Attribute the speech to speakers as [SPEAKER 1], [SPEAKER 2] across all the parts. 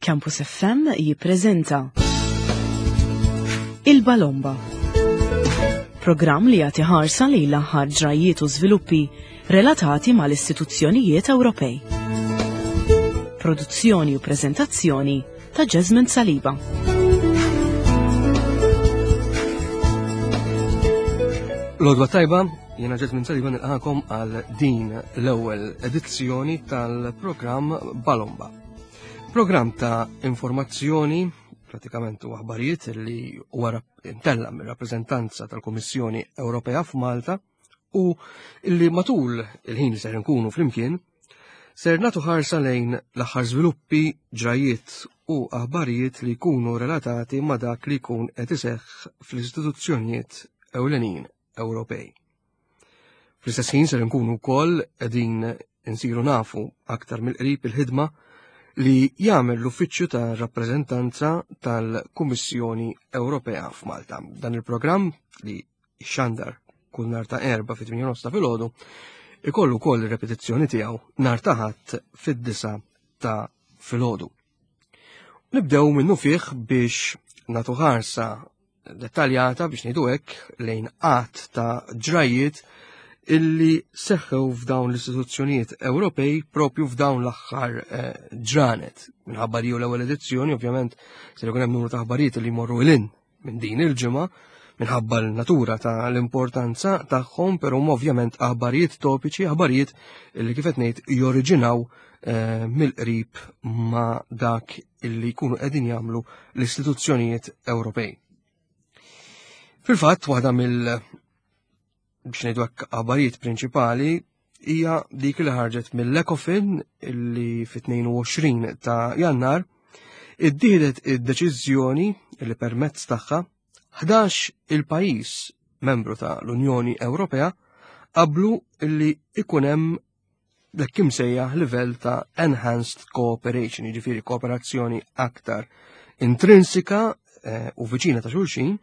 [SPEAKER 1] Campus FM jippreżenta Il-Balomba. Programm li jagħti ħarsa lejn l-aħħar ġrajjiet u żviluppi relatati mal-istituzzjonijiet Ewropej. Produzzjoni u preżentazzjoni ta' Jasmine Saliba.
[SPEAKER 2] Lodwa tajba, jena Jasmine Saliba nilqakom għal din l-ewwel edizzjoni tal-programm Balomba. Programm ta' informazzjoni, pratikament u aħbarijiet li huwa imtella mir-rappreżentanza tal-Kummissjoni Ewropea f'Malta u li matul il-ħin li ser nkunu flimkien ser nagħtu ħarsa lejn l-aħħar żviluppi, ġrajiet u aħbarijiet li jkunu relatati ma' dak li jkun qed iseħħ fl-istituzzjonijiet ewlenin Ewropej. Fl-istess ħin ser nkunu wkoll qegħdin insiru nafu aktar mill-qrib il-ħidma li jagħmel l-Uffiċċju ta' Rappreżentanza tal-Kummissjoni Ewropea f'Malta. Dan il-programm li xandar kull nar ta' erba fit-8 nofs ta' filgħodu ikollu wkoll ir-repetizzjoni tiegħu nar ta' ħadd fid-disa ta' filgħodu. Nibdew minnu fih biex nagħtu ħarsa dettaljata biex ngħidu hekk lejn qatt ta' ġrajiet illi seħħew f'dawn l-istituzzjonijiet Ewropej propju f'dawn l-aħħar eh, ġranet. Minħabba li l-ewwel edizzjoni, ovvjament, se jkun hemm numru ta' aħbarijiet li jmorru ilin minn din il-ġimgħa minħabba l-natura ta' l-importanza tagħhom, però huma ovvjament aħbarijiet topiċi, aħbarijiet li kif qed ngħid joriġinaw eh, mill-qrib ma' dak illi jkunu qegħdin jagħmlu l-istituzzjonijiet Ewropej. Fil-fatt, waħda mill biex ngħidu hekk aħbarijiet prinċipali hija dik li ħarġet mill-Ecofin illi fit-22 ta' Jannar iddieħdet id-deċiżjoni li permezz tagħha 11 il-pajjiż membru ta' l-Unjoni Ewropea qablu illi ikun hemm l-hekk imsejjaħ livell ta' enhanced cooperation, jiġifieri kooperazzjoni aktar intrinsika eh, u viċina ta' xulxin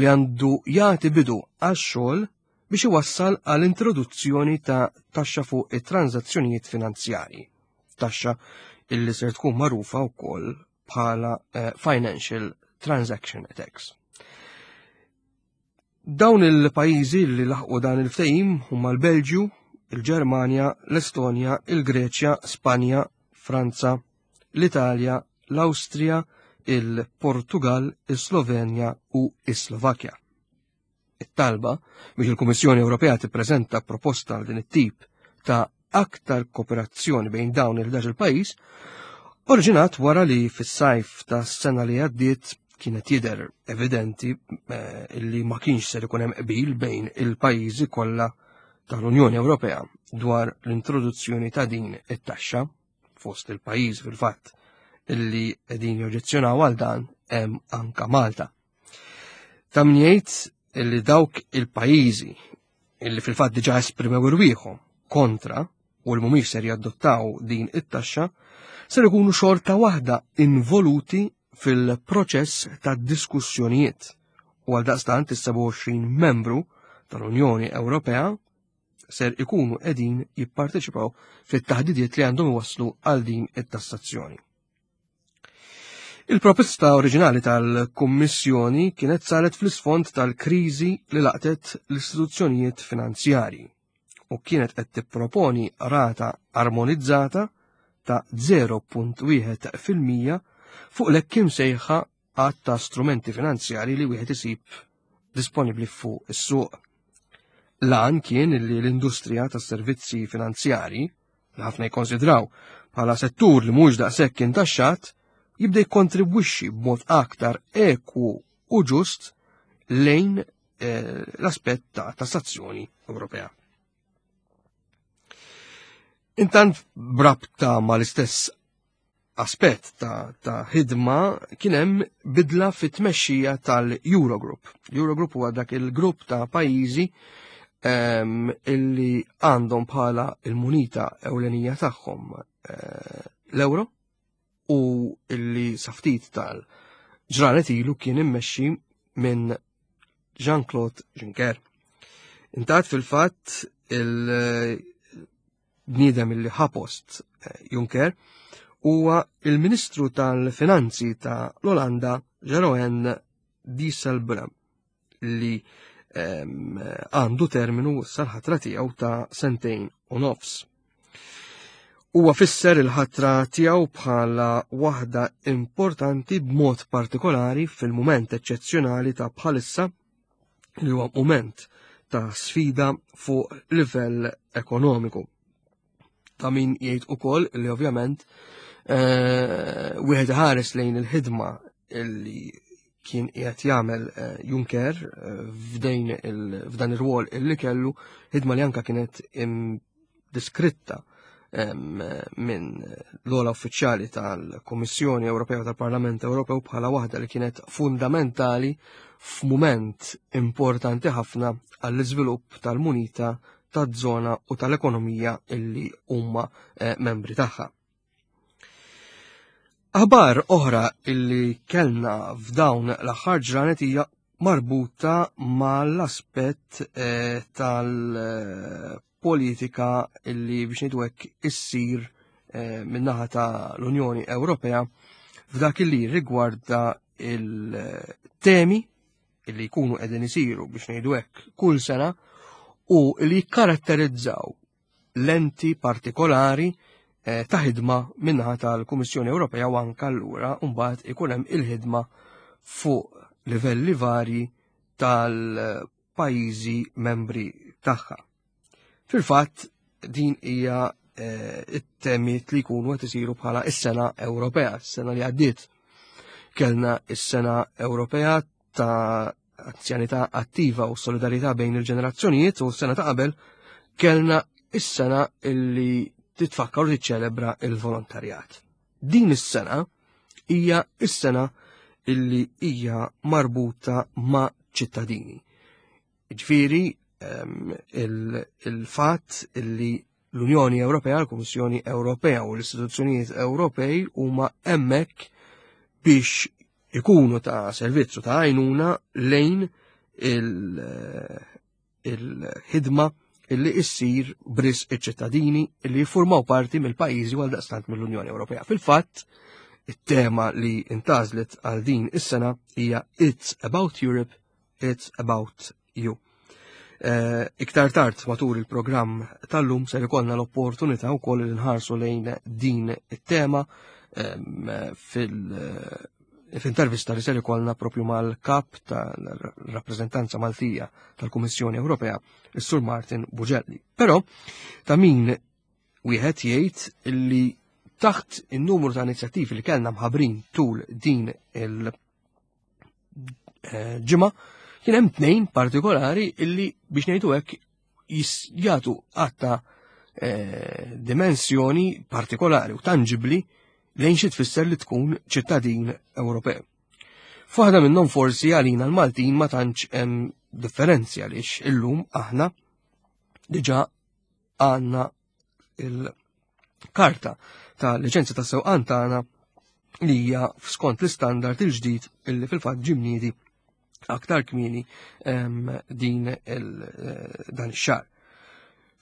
[SPEAKER 2] li għandu jagħti bidu għax-xogħol biex iwassal għal introduzzjoni ta' taxxa fuq it-transazzjonijiet finanzjarji. Taxxa illi ser tkun magħrufa wkoll bħala eh, Financial Transaction Tax. Dawn il-pajjiżi li laħqu dan il-ftehim huma l-Belġju, il-Ġermanja, l-Estonja, il-Greċja, Spanja, Franza, l-Italja, l-Awstrija, il-Portugal, is-Slovenja u is-Slovakkja. It-talba biex il-Kummissjoni Ewropea tippreżenta proposta għal din it-tip ta' aktar kooperazzjoni bejn dawn il-11 il-pajjiż oriġinat wara li fis-sajf ta' sena li għaddiet kienet jidher evidenti eh, li ma kienx ser ikun hemm qbil bejn il-pajjiżi kollha tal-Unjoni Ewropea dwar l-introduzzjoni ta' din it-taxxa fost il-pajjiż fil-fatt illi qegħdin joġġezzjonaw għal dan hemm anka Malta. Ta' min jgħid illi dawk il-pajjiżi illi fil-fatt diġà esprimew irwieħhom kontra u li mhumiex ser jadottaw din it-taxxa ser ikunu xorta waħda involuti fil-proċess ta' diskussjonijiet u għal daqstant is-27 membru tal-Unjoni Ewropea ser ikunu qegħdin jipparteċipaw fit-taħdidiet li għandhom iwasslu għal din it-tassazzjoni. Il-proposta oriġinali tal-Kummissjoni kienet saret fl-isfond tal-kriżi li laqtet l-istituzzjonijiet finanzjarji u kienet qed tipproponi rata armonizzata ta' 0.1 fil-mija fuq l-hekk imsejħa għadd ta' strumenti finanzjarji li wieħed isib disponibbli fuq is-suq. L-għan kien li l-industrija tas-servizzi finanzjarji li ħafna jikkonsidraw bħala settur li mhux daqshekk intaxxat, jibda jikkontribwixxi b'mod aktar ekwu u ġust lejn eh, l-aspett ta' tassazzjoni Ewropea. Intant brabta mal-istess aspett ta', ta ħidma kien hemm bidla fit-tmexxija tal-Eurogroup. Eurogroup huwa dak il-grupp ta' pajjiżi um, illi għandhom bħala il-munita ewlenija tagħhom uh, l-euro u illi saftit tal-ġranet ilu kien immexxi minn Jean-Claude Juncker. Intat fil-fatt il- bniedem illi ħa post eh, Juncker huwa il-Ministru tal-Finanzi ta' l-Olanda Jeroen Dijsselbloem li għandu terminu sal-ħatra tiegħu ta' sentejn u nofs. Huwa fisser il-ħatra tiegħu bħala waħda importanti b'mod partikolari fil-mument eċċezzjonali ta' bħalissa li huwa mument ta' sfida fuq livell ekonomiku. Ta' min jgħid ukoll li ovvjament eh, wieħed ħares lejn il-ħidma li kien qiegħed jagħmel eh, Juncker eh, f'dejn f'dan ir-rwol illi kellu ħidma li anka kienet diskritta minn l-ola uffiċjali tal-Kummissjoni Ewropea tal-Parlament Ewropew bħala waħda li kienet fundamentali f'mument importanti ħafna għall-iżvilupp tal-munita taż-żona u tal-ekonomija illi huma eh, membri tagħha. Aħbar oħra illi kellna f'dawn l-aħħar ġranet hija marbuta mal-aspett eh, tal-politika illi biex ngħidu hekk issir eh, min-naħa tal-Unjoni Ewropea f'dak illi rigwarda il-temi illi jkunu qegħdin isiru biex ngħidu hekk kull sena u li jikkaratterizzaw lenti partikolari eh, ta' ħidma minnaħa tal-Kummissjoni Ewropea u anka allura mbagħad ikun hemm il-ħidma fuq livelli varji tal-pajjiżi membri tagħha. Fil-fatt din hija eh, it-temiet li jkunu qed isiru bħala is-sena Ewropea, s-sena li għaddiet. Kellna is-sena Ewropea ta' anzjanità attiva u solidarità bejn il-ġenerazzjonijiet u s-sena ta' qabel kellna is-sena illi titfakkar u tiċċelebra il-volontarjat. Din is-sena hija is-sena illi hija marbuta ma' ċittadini. Ġifieri ehm, il-fatt illi l-Unjoni Ewropea, l-Kummissjoni Ewropea u l-istituzzjonijiet Ewropej huma hemmhekk biex ikunu ta' servizzu ta' għajnuna lejn il-ħidma illi issir bris iċ-ċittadini illi jiffurmaw parti mill-pajjiżi għal daqstant mill-Unjoni Ewropea. Fil-fatt, it-tema li intażlet għal din is-sena hija It's About Europe, It's About You. Eh, iktar tard matul il-programm tal-lum ser ikollna l-opportunità wkoll li nħarsu lejn din it-tema fil- eh, f'intervista li ser ikollna propju mal-kap tal-rappreżentanza Maltija tal-Kummissjoni Ewropea, is-Sur Martin Bugelli. Però ta' min wieħed jgħid li taħt in-numru ta' inizjattivi li kellna mħabrin tul din il- eh, ġimgħa kien hemm tnejn partikolari illi biex ngħidu hekk jagħtu għatta eh, dimensjoni partikolari u tanġibli lejn xi tfisser li tkun ċittadin Ewropew. F'waħda minnhom forsi għalina l-Maltin ma tantx hemm differenzi għaliex illum aħna diġà għandna il-karta ta' liċenzja ta' sewqan tagħna li hija skont l-istandard il-ġdid illi fil-fatt ġimniedi aktar kmieni din eh, dan ix-xahar.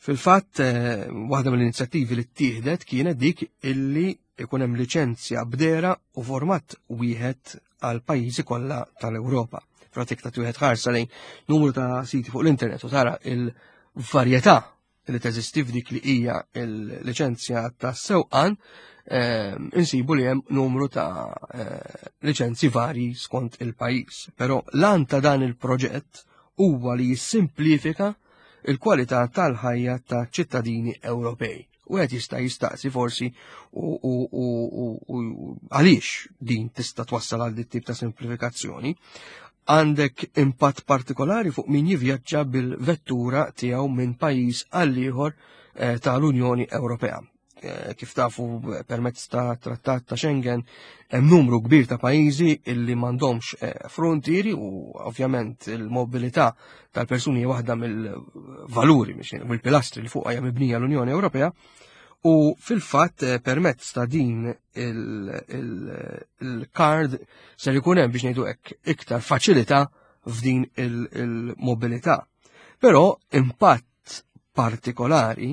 [SPEAKER 2] Fil-fatt eh, waħda mill-inizjattivi li ttieħdet kienet dik illi ikun hemm liċenzja bdera u format wieħed għal pajjiżi kollha tal-Ewropa. Pratik ta' wieħed ħarsa lejn numru ta' siti fuq l-internet u tara il-varjetà li teżisti f'dik li hija l-liċenzja ta' sewqan, ehm, insibu li hemm numru ta' eh, liċenzji varji skont il-pajjiż. Però l-an ta' dan il-proġett huwa li jissimplifika il-kwalità tal-ħajja ta' ċittadini Ewropej. U għed jista' jistaqsi forsi u għaliex din tista' twassal għal dit tip ta' simplifikazzjoni għandek impatt partikolari fuq min jivvjaġġa bil-vettura tiegħu minn pajjiż għal ieħor eh, tal-Unjoni Ewropea. Eh, kif tafu eh, permezz ta' trattat ta' Schengen hemm numru kbir ta' pajjiżi illi m'għandhomx frontieri u ovvjament il-mobilità tal-persuni waħda mill-valuri mill-pilastri li fuqha hija mibnija l-Unjoni Ewropea u fil-fatt permezz ta' din il-card ser ikun hemm biex ngħidu hekk iktar faċilità f'din il-mobilità. Però impatt partikolari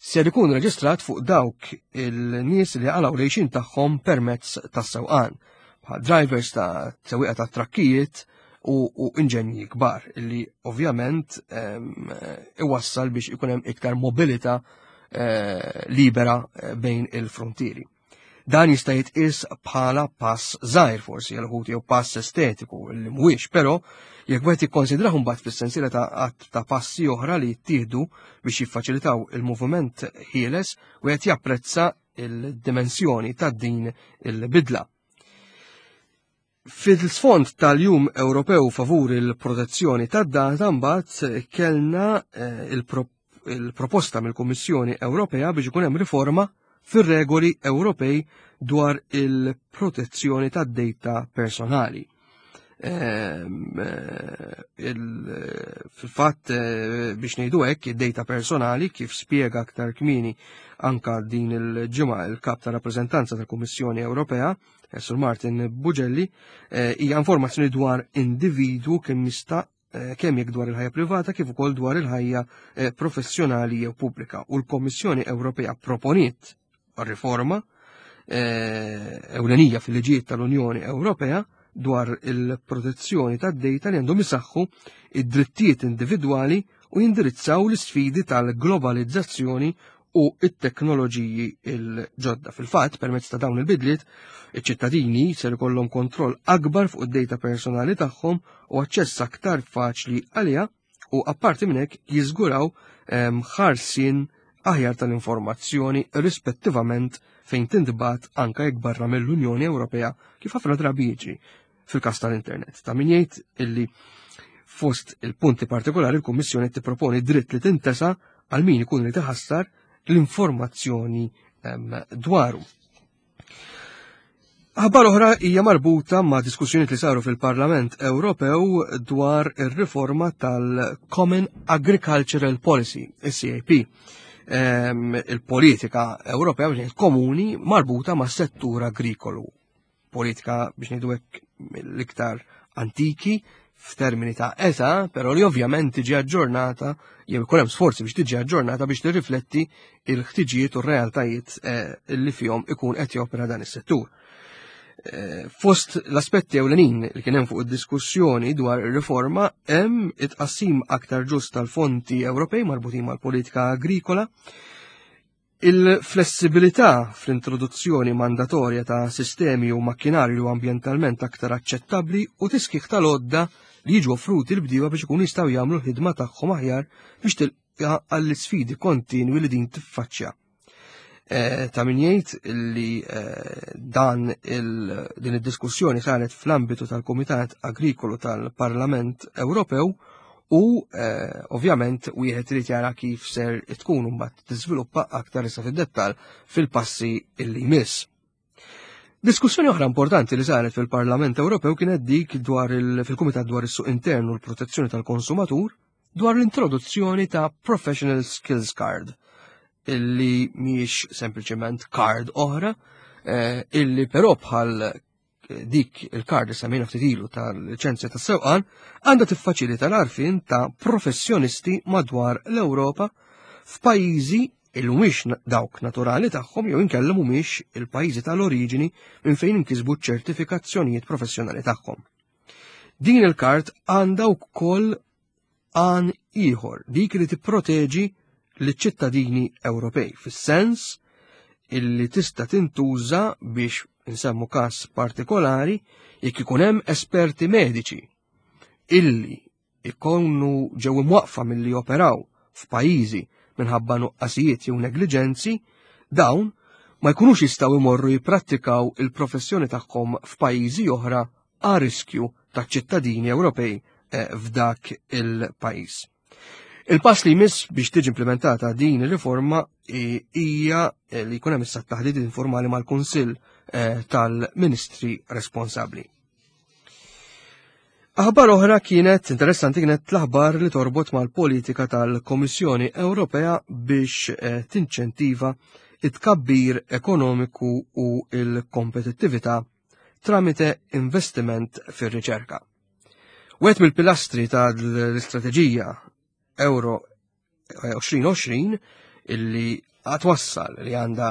[SPEAKER 2] ser ikun reġistrat fuq dawk il-nies li għalaw lejxin tagħhom permezz tas-sewqan, bħal drivers ta' sewwieqa ta' trakkijiet u, u inġenji kbar li ovvjament iwassal biex ikun hemm iktar mobilità eh, libera eh, bejn il-frontieri. Dan jista' jitqies bħala pass żgħir forsi għal uħud jew pass estetiku li mhuwiex, però jekk wieħed jikkonsidrah mbagħad fis-sensiela ta' qatt ta' passi oħra li jittieħdu biex jiffaċilitaw il-moviment ħieles, wieħed japprezza il-dimensjoni ta' din il-bidla. Fil-sfond tal-Jum Ewropew favur il-protezzjoni tad-data mbagħad kellna eh, il-proposta mill-Kummissjoni Ewropea biex ikun hemm riforma fir-regoli Ewropej dwar il-protezzjoni tad-data personali. Ehm, eh, fil-fatt eh, biex ngħidu hekk id-data personali kif spjega aktar kmieni anka din il-ġimgħa il-kap ta' rappreżentanza tal-Kummissjoni Ewropea, eh, Sur Martin Bugelli, hija informazzjoni dwar individwu kemm jista' kemm jekk dwar il-ħajja privata kif ukoll dwar il-ħajja professjonali jew pubblika. U l-Kommissjoni Ewropea proponiet riforma ewlenija fil-liġijiet tal-Unjoni Ewropea dwar il-protezzjoni tad-data li għandhom isaħħu id-drittijiet individwali u jindirizzaw l-isfidi tal-globalizzazzjoni u it-teknoloġiji il-ġodda. Fil-fatt, permezz ta' dawn il-bidliet, iċ-ċittadini ser ikollhom kontroll akbar fuq id-data personali tagħhom u aċċess aktar faċli għaliha u apparti minn hekk jiżguraw ehm, ħarsien aħjar tal-informazzjoni rispettivament fejn tintbagħat anka jekk barra mill-Unjoni Ewropea kif ħafna drabi jiġri fil-każ tal-internet. Ta' min jgħid illi fost il-punti partikolari l-Kummissjoni tipproponi dritt li tintesa għal min ikun li tiħassar l-informazzjoni ehm, dwaru. Aħbar oħra hija marbuta ma' diskussjonijiet li saru fil-Parlament Ewropew dwar ir-riforma tal-Common Agricultural Policy, il-CAP. Ehm, il-politika Ewropea komuni marbuta ma' settur agrikolu politika biex ngħidu hekk l-iktar antiki f'termini ta' età, però li ovvjament tiġi aġġornata jew ikun hemm sforzi biex tiġi aġġornata biex tirrifletti il-ħtiġijiet u r-realtajiet eh, li fihom ikun qed jopera dan is-settur. Eh, fost l-aspetti ewlenin li kien hemm fuq id-diskussjoni dwar ir-riforma hemm it-tqassim aktar ġust tal-fondi Ewropej marbutin mal-politika agrikola, Il-flessibilità fl-introduzzjoni mandatorja ta' sistemi u makkinarju ambjentalment aktar aċċettabbli u tiskih tal-għodda li jiġu offruti l-bdiewa biex ikunu jistgħu jagħmlu l-ħidma tagħhom aħjar biex tilqa' għall-isfidi kontinwi li din tiffaċċja. Eh, ta' min jgħid li eh, dan din id-diskussjoni saret fl-ambitu tal-Kumitat Agrikolu tal-Parlament Ewropew U eh, ovvjament wieħed irid jara kif ser tkun mbagħad tiżviluppa aktar issa fid-dettall fil-passi illi jmiss. Diskussjoni oħra importanti li saret fil-Parlament Ewropew kienet dik dwar fil-Kumitat dwar is-Suq Intern u l-Protezzjoni tal-Konsumatur dwar l-introduzzjoni ta' Professional Skills Card illi mhijiex sempliċement card oħra, eh, illi però bħal dik il-kard li semmejna ftit ilu tal-liċenzja tas-sewqan għandha tiffaċilita l-għarfien ta' professjonisti madwar l-Ewropa f'pajjiżi il mhumiex dawk naturali tagħhom jew inkella mhumiex il-pajjiżi tal-oriġini minn fejn inkisbu ċ-ċertifikazzjonijiet professjonali tagħhom. Din il-kard għandha wkoll għan ieħor, dik li tipproteġi liċ-ċittadini Ewropej, fis-sens illi tista' tintuża biex insemmu każ partikolari jekk ikun hemm esperti mediċi illi ikunu ġew imwaqfa milli joperaw f'pajjiżi minħabba nuqqasijiet jew negliġenzi, dawn ma jkunux jistgħu jmorru jipprattikaw il-professjoni tagħhom f'pajjiżi oħra a riskju taċ-ċittadini Ewropej eh, f'dak il-pajjiż. Il-pass li jmiss biex tiġi implementata din ir-riforma hija eh, li jkun hemm issa taħdid informali mal-Kunsill eh, tal-Ministri responsabbli. Aħbar oħra kienet interessanti kienet l-aħbar li torbot mal-politika tal-Komissjoni Ewropea biex tinċentiva it-kabbir ekonomiku u il-kompetittività tramite investiment fir-riċerka. Wieħed mill-pilastri tal-istrateġija Euro 2020 eh, illi għatwassal li għandha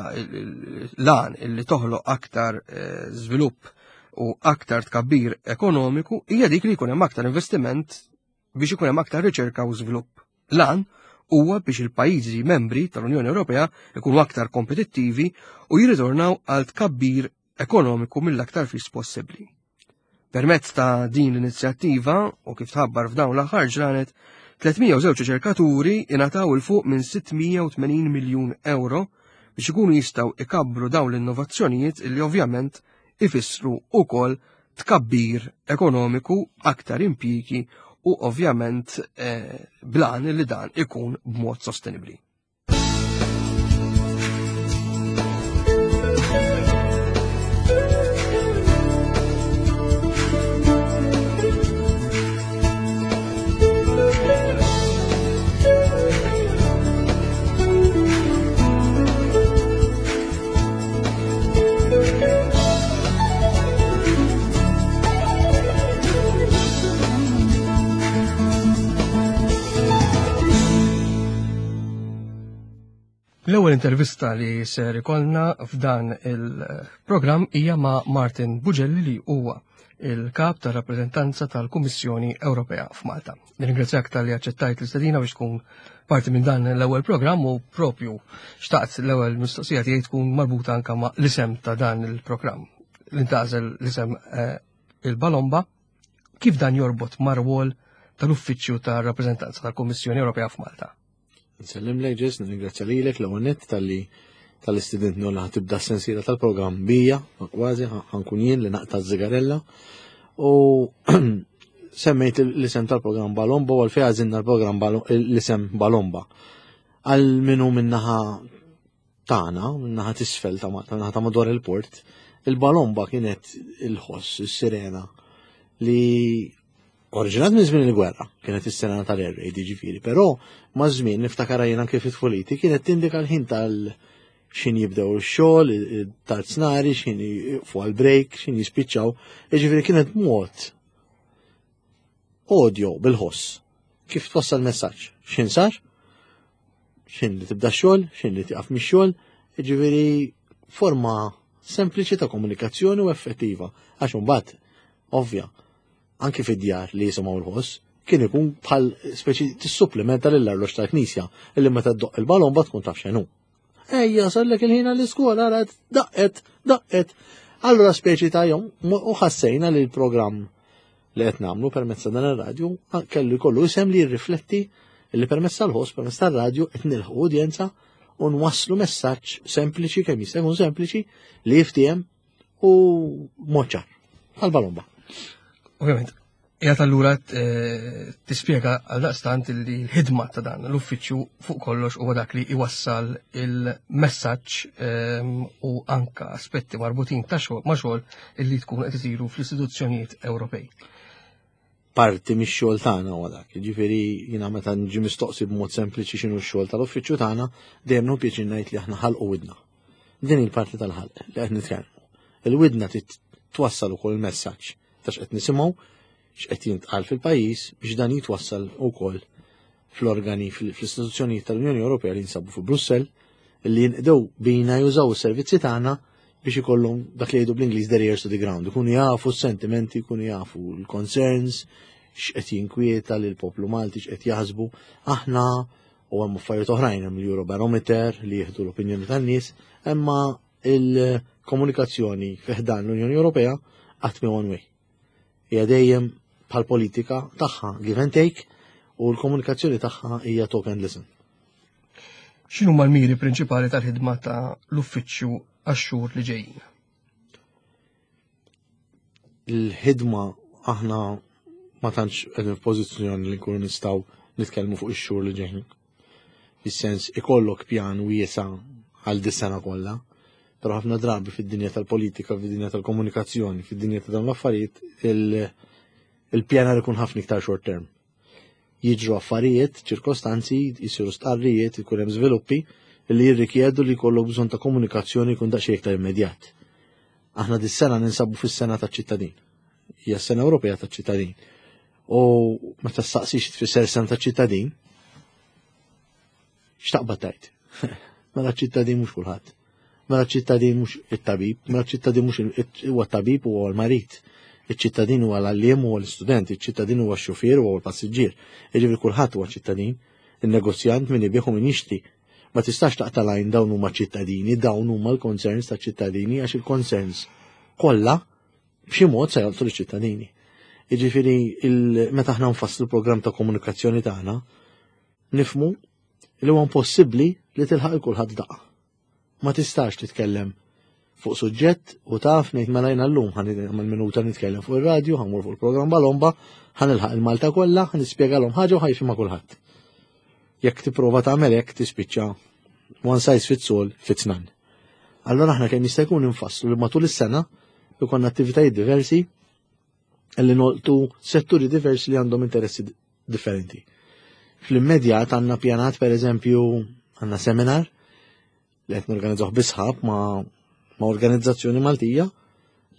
[SPEAKER 2] lan illi toħloq aktar eh, żvilupp u aktar tkabbir ekonomiku hija dik li jkun hemm aktar investiment biex ikun hemm aktar riċerka u żvilupp. Lan huwa biex il-pajjiżi membri tal-Unjoni Ewropea ikunu aktar kompetittivi u jirritornaw għal tkabbir ekonomiku mill-aktar fis possibbli. Permezz ta' din l-inizjattiva u kif tħabbar f'dawn l-aħħar ġranet, 302 riċerkaturi ingħataw il fuq minn 680 miljun euro biex ikunu jistgħu ikabbru dawn l-innovazzjonijiet li ovvjament ifissru ukoll tkabbir ekonomiku, aktar impjiegi u ovvjament eh, blan li dan ikun b'mod sostenibbli. L-ewwel intervista li ser ikollna f'dan il-programm hija ma' Martin Bugelli li huwa il-kap ta' rappreżentanza tal-Kummissjoni Ewropea f'Malta. Nirringrazzjak tal-li aċċettajt l-istedina biex tkun parti minn dan l-ewwel programm u propju xtaqt l-ewwel mistoqsija tiegħi tkun marbuta anka ma' l-isem ta' dan il-programm. L-intażel l-isem eh, il-Balomba, kif dan jorbot mar-rwol tal-Uffiċċju tar-Rappreżentanza tal-Kummissjoni Ewropea f'Malta.
[SPEAKER 3] Nsellim lek ġes, nirringrazzja lilek l-ewwel nett talli tal-istudent li tibda s-sensiela tal-programm bija, kważi ħankun jien li naqta' zigarella. U semmejt l-isem tal-programm Balomba u għalfej għażilna l-programm l-isem Balomba. Għal minu minnaħa tagħna, minnaħa tisfel ta' Malta, minnaħa ta' madwar il-port, il-Balomba kienet il-ħoss, is-sirena li oriġinat minn żmien il-gwerra, kienet is-sirena tal-air raid jiġifieri, però ma' żmien niftakar jien anke fit-tfuliti kienet tindika l-ħin tal- xin jibdew ix-xogħol, tard snari, xin fuq għal-break, xin jispiċċaw, jiġifieri kienet mod audio bil-ħoss kif twassal messaġġ. Xin sar? Xin li tibda xogħol, xin li tiqaf mix-xogħol, jiġifieri forma sempliċi ta' komunikazzjoni u effettiva. Għax imbagħad ovvja, anki fid-djar li jisimgħu l-ħoss, kien ikun bħal speċi tissupplementa lill-arloġġ tal-knisja illi meta ddoq il-balomba tkun taf x'inhu. Ejja, sallek il-ħin għall-iskola, ara daqqet, daqqet. Allura speċi ta' jom, u ħassejna li l-programm li qed nagħmlu permezz ta' dan ir-radju kellu jkollu isem li jirrifletti li permezz tal-ħoss, permezz tar-radju qed nilħu udjenza u nwasslu messaġġ sempliċi kemm jista' jkun sempliċi li jiftiehem u moċar għal balomba.
[SPEAKER 2] Ovvjament, jgħat allura eh, tispjega għal daqstant li l-ħidma ta' dan l-uffiċċju fuq kollox huwa dak li iwassal il-messaġġ ehm, u anka aspetti marbutin ta' xogħol ma' xogħol illi tkun qed isiru fl-istituzzjonijiet Ewropej.
[SPEAKER 3] Parti mix-xogħol tagħna huwa dak. Jiġifieri jiena meta nġi mistoqsi b'mod sempliċi x'inhu x-xogħol tal-uffiċċju tagħna, dejjem nieħu pjaċir ngħid li aħna ħalqu widna. Din il-parti tal-ħalq li qed nitkellmu. Il-widna twassal ukoll il-messaġġ ta' x'qed nisimgħu, x'qed jintqal fil-pajjiż biex dan jitwassal ukoll fl-organi fl-istituzzjonijiet tal-Unjoni Ewropea li jinsabu fi Brussell li jinqdew bina jużaw is-servizzi tagħna biex ikollhom dak li jgħidu bl-Ingliż their ears to the ground, ikunu jafu s-sentimenti, ikunu jafu l-concerns, x'qed jinkwieta lil poplu Malti, x'qed jaħsbu. Aħna u hemm affarijiet oħrajn hemm l-Eurobarometer li jieħdu l-opinjoni tan-nies, imma il-komunikazzjoni fi ħdan l-Unjoni Ewropea qatt mi one way. Hija dejjem bħal politika tagħha give and take u l-komunikazzjoni tagħha hija talk and listen.
[SPEAKER 2] X'inhuma l-miri prinċipali tal-ħidma ta' l-uffiċċju għax-xhur li ġejjin?
[SPEAKER 3] Il-ħidma aħna ma tantx qegħdin f'pożizzjoni li nkunu nistgħu nitkellmu fuq ix-xhur li ġejjin. Fis-sens ikollok pjan wiesa' għal dis-sena kollha, però ħafna drabi fid-dinja tal-politika, fid-dinja tal-komunikazzjoni, fid-dinja ta' dawn l-affarijiet, il-pjanar ikun ħafna iktar short term. Jiġru affarijiet, ċirkostanzi, jisiru stqarrijiet, ikun hemm żviluppi li jirrikjedu li jkollok bżonn ta' komunikazzjoni jkun daqsxejn iktar immedjat. Aħna dis-sena ninsabu fis-sena taċ-ċittadin. Hija s-sena Ewropea taċ-ċittadin. U meta staqsix tfisser sena taċ-ċittadin, x'taqbad tajt? Mela ċittadin mhux kulħadd. Mela ċittadin mhux it-tabib, mela ċittadin mhux huwa t-tabib huwa l-marid. Iċ-ċittadin huwa l-għalliem huwa l-istudent, iċ-ċittadin huwa x-xufier huwa l-passiġġier. Jiġifieri kulħadd huwa ċittadin, in-negozjant min ibigħ u min jixtri. Ma tistax taqta' lajn dawn huma ċittadini, dawn huma l-concerns ta' ċittadini għax il-concerns kollha b'xi mod se jolqtu liċ-ċittadini. Jiġifieri meta aħna nfasslu l-programm ta' komunikazzjoni tagħna, nifmu li huwa impossibbli li tilħaq il kulħadd daqqa. Ma tistax titkellem fuq suġġett u taf ngħid mela jiena llum ħa nagħmel minuta nitkellem fuq ir-radju, ħa fuq il-programm Balomba, ħa nilħaq il-Malta kollha, ħa nispjegalhom ħaġa u ħa jifhimha kulħadd. Jekk tipprova tagħmel hekk tispiċċa one size fits all fits none. Allora aħna kemm jista' jkun infasslu li matul is-sena jkollna attivitajiet diversi li nolqtu setturi diversi li għandhom interessi differenti. Fl-immedjat għandna pjanat per eżempju għandna seminar li qed norganizzawh bi sħab ma', ma organizzazzjoni Maltija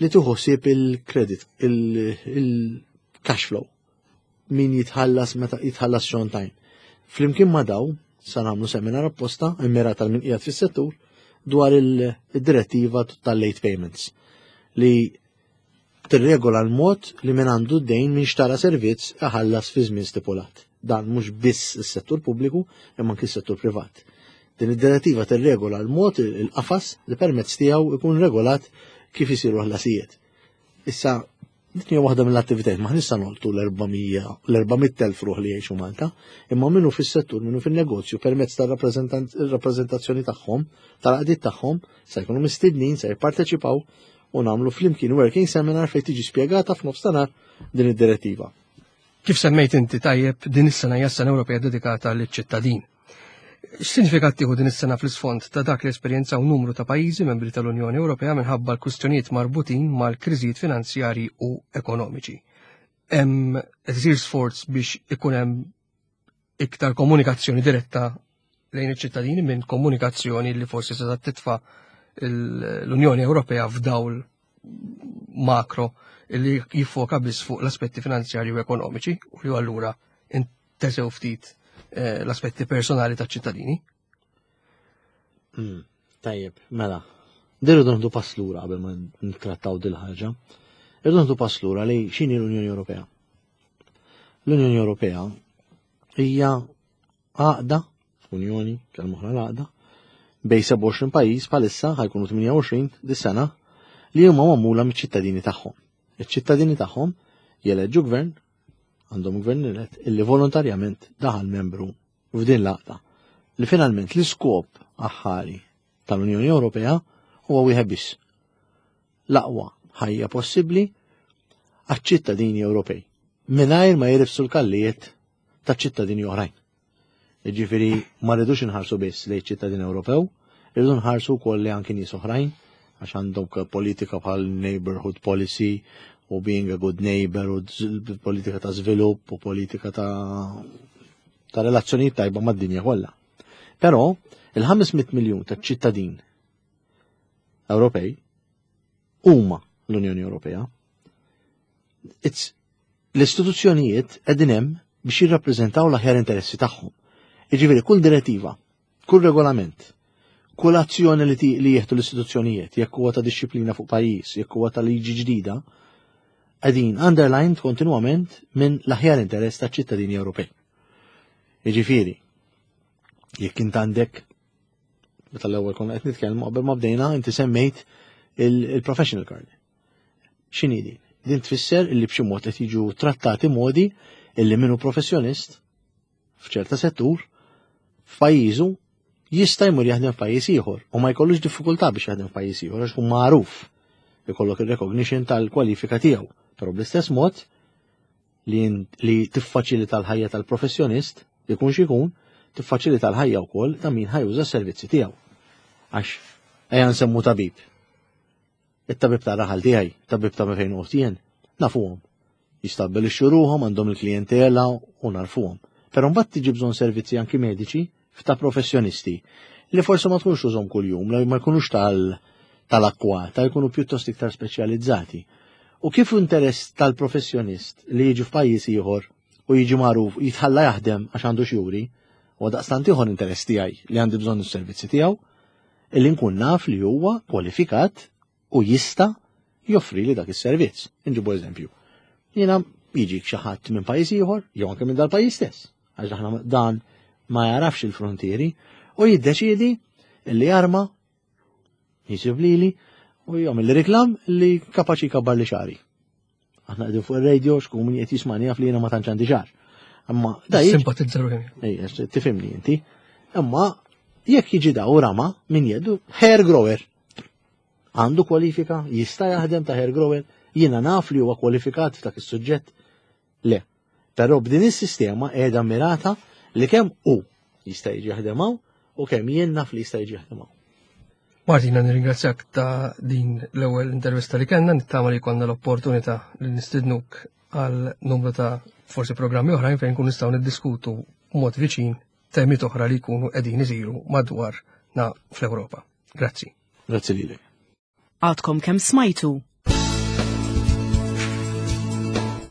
[SPEAKER 3] li tieħu ħsieb il-credit, il-cash flow. Min jitħallas meta jitħallas xon time. Flimkien ma' daw sa nagħmlu seminar apposta immirat għal min qiegħed fis-settur dwar il-direttiva tal-late payments li tirregola l-mod li min għandu d-dejn min xtara servizz iħallas fi żmien stipulat. Dan mhux biss is-settur pubbliku imma anki s-settur privat. Din id-direttiva tirregola l-mod il-qafas li permezz tiegħu ikun regolat kif isiru ħlasijiet. Issa din hija waħda mill-attivitajiet ma nista' noltu l-400,000 ruħ li jgħixu Malta, imma minnu fis-settur, minnu fin-negozju permezz tar-rappreżentazzjoni tagħhom, tal-qdiet tagħhom, se jkunu mistednin, se jipparteċipaw u nagħmlu flimkien working seminar fejn tiġi spjegata f'nofstanhar din id-direttiva.
[SPEAKER 2] Kif semmejt inti tajjeb din is-sena hija sena Ewropea dedikata liċ-ċittadin. X'sinifikat tieħu din is-sena fl-isfond ta' dak li esperjenzaw numru ta' pajjiżi membri tal-Unjoni Ewropea minħabba l-kwistjonijiet marbutin mal-kriżijiet finanzjarji u ekonomiċi? Hemm qed isir sforz biex ikun hemm iktar komunikazzjoni diretta lejn iċ-ċittadini minn komunikazzjoni li forsi se titfa' l-Unjoni Ewropea f'dawl makro li jiffoka biss fuq l-aspetti finanzjarji u ekonomiċi u li allura intesew ftit eh, l-aspetti personali taċ-ċittadini.
[SPEAKER 3] Hmm, tajjeb, mela. Dirridu nħdu pass lura qabel ma nittrattaw dil-ħaġa. Irridu nħdu pass lura li x'inhi l-Unjoni Ewropea. L-Unjoni Ewropea hija għaqda, Unjoni, kelma oħra l-għaqda, bej 27 pajjiż bħalissa ħajkunu 28 dis-sena li huma magħmula miċ-ċittadini tagħhom. Iċ-ċittadini tagħhom jeleġġu gvern, għandhom gvern elett illi volontarjament daħal membru f'din l-għaqda li finalment l-iskop aħħari tal-Unjoni Ewropea huwa wieħed biss. L-aqwa ħajja possibbli għaċ-ċittadini Ewropej mingħajr ma jirifsu l-kallijiet ta' ċittadini oħrajn. Jiġifieri ma rridux inħarsu biss lejn ċittadin Ewropew, irridu nħarsu wkoll li anki nies oħrajn għax għandhom politika bħal neighborhood policy u being a good neighbor u politika ta' żvilupp u politika ta' ta' relazzjonijiet tajba mad-dinja kollha. Però il-500 miljun ta' ċittadin Ewropej huma l-Unjoni Ewropea. L-istituzzjonijiet qegħdin hemm biex jirrappreżentaw l-aħjar interessi tagħhom. Jiġifieri kull direttiva, kull regolament, kull azzjoni li, li jieħdu l-istituzzjonijiet, jekk huwa ta' disċiplina fuq pajjiż, jekk huwa ta' liġi ġdida, qegħdin underlined kontinwament minn l-aħjar interess ta' ċittadini Ewropej. Jiġifieri, jekk int għandek meta l-ewwel konna qed nitkellmu qabel ma bdejna inti semmejt il-professional card. X'inhi din? Din tfisser illi b'xi mod qed jiġu trattati modi illi minnu professjonist f'ċerta settur f'pajjiżu jista' jmur jaħdem f'pajjiż ieħor u ma jkollux diffikultà biex jaħdem f'pajjiż ieħor għax hu magħruf ikollok ir-recognition tal-kwalifika tiegħu. Però bl-istess mod li, li tiffaċilita l-ħajja tal-professjonist, ikun xikun, tiffaċilita l-ħajja wkoll ta' min ħajuża s-servizzi tiegħu. Għax ejja nsemmu tabib. It-tabib ta' raħal tiegħi, tabib ta' fejn jien, nafuhom. Jistabbilixxu ruħhom għandhom il-klijentela u narfuhom. Però mbagħad tiġi bżonn servizzi anki mediċi f'ta' professjonisti li forsi ma tkunx użhom kuljum, li ma jkunux tal tal-akkwata, jkunu pjuttost iktar speċjalizzati. U kif interess tal-professjonist li jiġi f'pajjiż ieħor u jiġi magħruf jitħalla jaħdem għax għandu xjuri, U daqstant ieħor interess tiegħi li għandi bżonn is-servizzi tiegħu illi nkun naf li huwa kwalifikat u jista' joffri li dak is-servizz. Inġibu eżempju. Jiena jiġik xi ħadd minn pajjiż ieħor jew anke minn dal-pajjiż stess, għax aħna dan ma jarafx il-frontieri u jiddeċiedi li jarma jisib lili u jagħmel reklam li kapaċi jkabbar li xari. Aħna qegħdin fuq ir-radio x'kum min qed jismani jaf li jiena ma tantx għandi xar. Imma
[SPEAKER 2] da simpatizza ruħi.
[SPEAKER 3] Ejja, tifhimni inti. Imma jekk jiġi daw rama min jeddu hair grower. Għandu kwalifika, jista' jaħdem ta' hair grower, jiena naf li huwa kwalifikat f'dak is-suġġett. Le. Però b'din is-sistema qiegħda mirata li kemm hu jista' jiġi jaħdem hawn u kemm jien naf li jista' jiġi jaħdem hawn.
[SPEAKER 2] Martina, nirringrazzjak ta' din l-ewwel intervista li kellna, nittama li konna l-opportunità li nistidnuk għal numru ta' forsi programmi oħrajn fejn kun nistgħu niddiskutu mod viċin temi oħra li jkunu qegħdin isiru madwar na fl-Ewropa. Grazzi.
[SPEAKER 3] Grazzi lilek.
[SPEAKER 1] Għadkom kemm smajtu.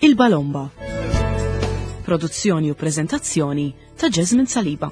[SPEAKER 1] Il-Balomba. Produzzjoni u prezentazzjoni ta' Jasmine Saliba.